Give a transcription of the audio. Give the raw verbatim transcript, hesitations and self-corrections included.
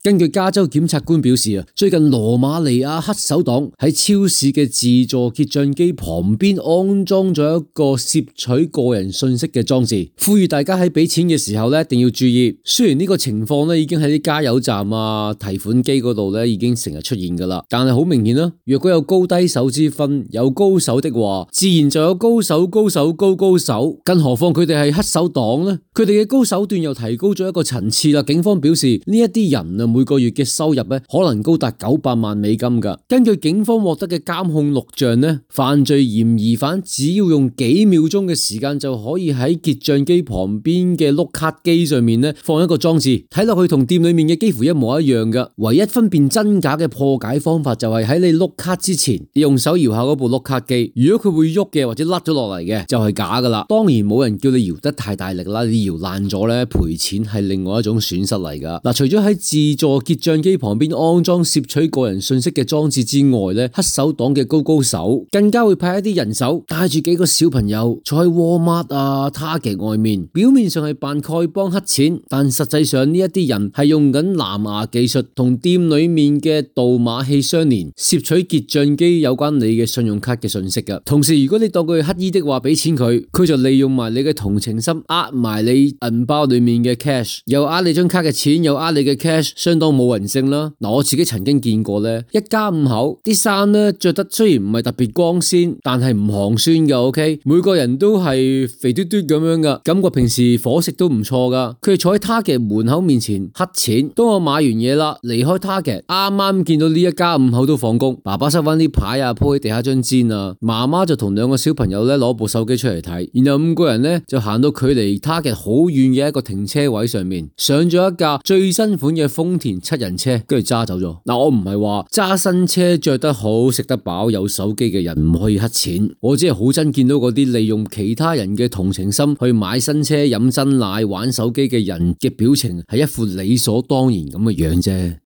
根據加州檢察官表示啊，最近羅馬尼亞黑手黨喺超市嘅自助結賬機旁邊安裝咗一個攝取個人信息嘅裝置，呼籲大家喺俾錢嘅時候咧一定要注意。雖然呢個情況咧已經喺啲加油站啊、提款機嗰度咧已經成日出現噶啦，但係好明顯啦，若果有高低手之分，有高手的話，自然就有高手、高手、高高手。更何況佢哋係黑手黨咧，佢哋嘅高手段又提高咗一個層次啦。警方表示呢一啲人啊，每個月嘅收入咧可能高達九百萬美金噶。根據警方獲得嘅監控錄像咧，犯罪嫌疑犯只要用幾秒鐘嘅時間就可以喺結賬機旁邊嘅碌卡機上面咧放一個裝置，睇落去同店裏面嘅幾乎一模一樣噶。唯一分辨真假嘅破解方法就係喺你碌卡之前，你用手搖下嗰部碌卡機，如果佢會喐嘅或者甩咗落嚟嘅，就係假噶啦。當然冇人叫你搖得太大力啦，你搖爛咗咧賠錢係另外一種損失嚟噶。嗱，除咗喺自助結賬機旁邊安裝攝取個人信息嘅裝置之外咧，黑手黨嘅高高手更加會派一啲人手帶住幾個小朋友坐喺 Walmart 啊、Target 外面，表面上係扮丐幫黑錢，但實際上呢一啲人係用緊藍牙技術同店裏面嘅導碼器相連，攝取結賬機有關你嘅信用卡嘅信息噶。同時，如果你當佢係乞衣的話，俾錢佢，佢就利用埋你嘅同情心，呃埋你銀包裏面嘅 cash， 又呃你張卡嘅錢，又呃你嘅 cash， 相當冇人性啦。嗱，我自己曾經見過咧，一家五口啲衫咧着得雖然唔係特別光鮮，但係唔寒酸㗎。OK， 每個人都係肥嘟嘟咁樣噶，感覺平時伙食都唔錯噶。佢哋坐喺 Target 門口面前乞錢，當我買完嘢啦，離開 Target， 啱啱見到呢一家五口都放工，爸爸收翻啲牌啊，鋪喺地下張氈啊，媽媽就同兩個小朋友咧攞部手機出嚟睇，然後五個人咧就行到距離 Target 好遠嘅一個停車位上面，上咗一架最新款嘅豐田七人車，跟住揸走咗。嗱，我唔係話揸新車着得好、食得飽、有手機嘅人唔可以乞錢，我只係好憎見到嗰啲利用其他人嘅同情心去買新車、飲珍奶、玩手機嘅人嘅表情係一副理所當然咁嘅樣啫。